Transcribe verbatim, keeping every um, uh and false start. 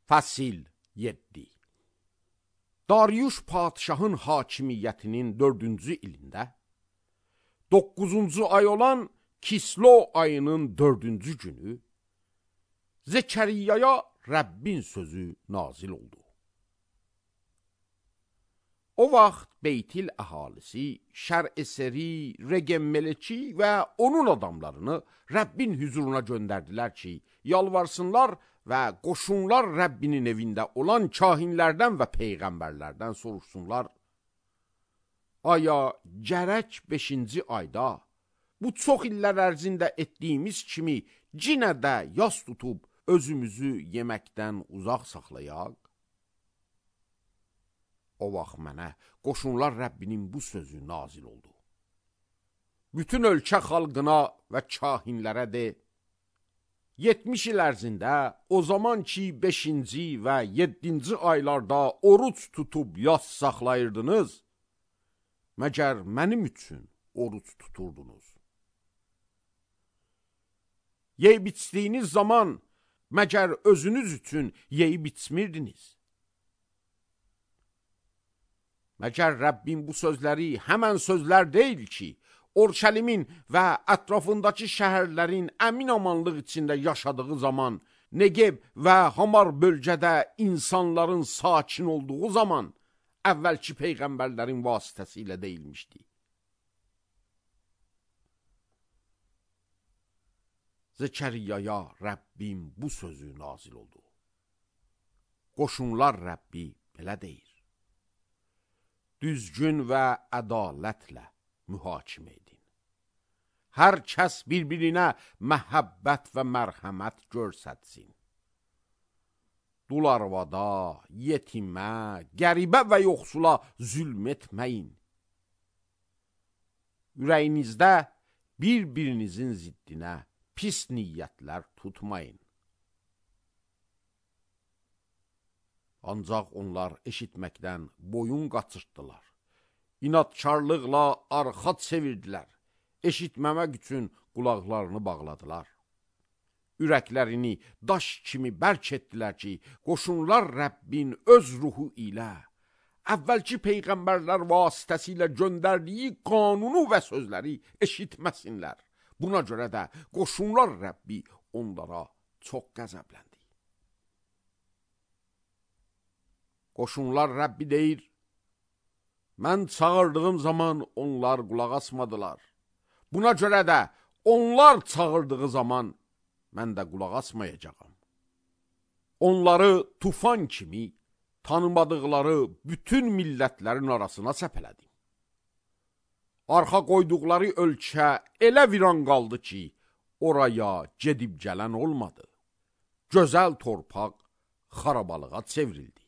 Fəsil yeddi. Dariuş padişahın hakimiyyətinin dördüncü ilində, doqquzuncu ay olan Kislo ayının dördüncü günü, Zekəriyaya Rəbbin sözü nazil oldu. O vaxt Beytil əhalisi, Şər-Eseri, Regem-Meleki və onun adamlarını Rəbbin hüzuruna göndərdilər ki, yalvarsınlar və qoşunlar Rəbbinin evində olan kahinlərdən və peyğəmbərlərdən soruşsunlar. Aya gərək beşinci ayda bu çox illər ərzində etdiyimiz kimi cinə də yas tutub özümüzü yeməkdən uzaq saxlayaq? O vaxt mənə qoşunlar Rəbbinin bu sözü nazil oldu. Bütün ölkə xalqına və kahinlərə de, yetmiş il ərzində o zaman ki beşinci və yeddinci aylarda oruç tutub yas saxlayırdınız, məgər mənim üçün oruç tuturdunuz. Yeyib içdiyiniz zaman məgər özünüz üçün yeyib içmirdiniz. Məgər Rəbbin bu sözləri həmən sözlər deyil ki, Orşəlimin və ətrafındakı şəhərlərin əmin amanlıq içində yaşadığı zaman, Negev və Hamar bölgədə insanların sakin olduğu zaman, əvvəlki peyğəmbərlərin vasitəsilə deyilmişdi. Zekəriyaya Rəbbin bu sözü nazil oldu. Qoşunlar Rəbbi belə deyir. Düzgün və ədalətlə mühakimə edin. Hər kəs bir-birinə məhəbbət və mərhəmət görsətsin. Dul arvada, yetimə, qəribə və yoxsula zülm etməyin. Ürəyinizdə bir-birinizin ziddinə pis niyyətlər tutmayın. Ancaq onlar eşitməkdən boyun qaçırtdılar. İnadkarlıqla arxa çevirdilər. Eşitməmək üçün qulaqlarını bağladılar. Ürəklərini daş kimi bərk etdilər ki, qoşunlar Rəbbin öz ruhu ilə, əvvəlki peyğəmbərlər vasitəsilə göndərdiyi qanunu və sözləri eşitməsinlər. Buna görə də qoşunlar Rəbbi onlara çox qəzəbləndi. Qoşunlar Rəbbi deyir, mən çağırdığım zaman onlar qulaq asmadılar. Buna görə də onlar çağırdığı zaman mən də qulaq asmayacağam. Onları tufan kimi tanımadıqları bütün millətlərin arasına səpələdim. Arxa qoyduqları ölkə elə viran qaldı ki, oraya gedib gələn olmadı. Gözəl torpaq xarabalığa çevrildi.